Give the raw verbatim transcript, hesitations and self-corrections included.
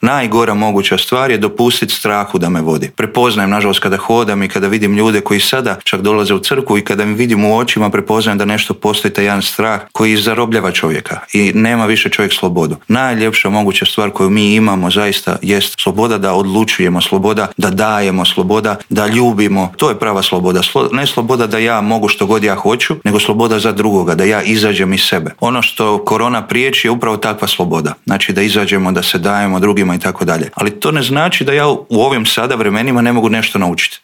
Najgora moguća stvar je dopustiti strahu da me vodi. Prepoznajem, nažalost, kada hodam i kada vidim ljude koji sada čak dolaze u crkvu i kada mi vidim u očima, prepoznajem da nešto postoji taj jedan strah koji zarobljava čovjeka i nema više čovjek slobodu. Najljepša moguća stvar koju mi imamo zaista jest sloboda da odlučujemo, sloboda da dajemo, sloboda da ljubimo. To je prava sloboda. Ne sloboda da ja mogu što god ja hoću, nego sloboda za drugoga, da ja izađem iz sebe. Ono što korona priječi je upravo takva sloboda. Znači da izađemo, da se dajemo drugima i tako dalje. Ali to ne znači da ja u ovim sada vremenima ne mogu nešto naučiti.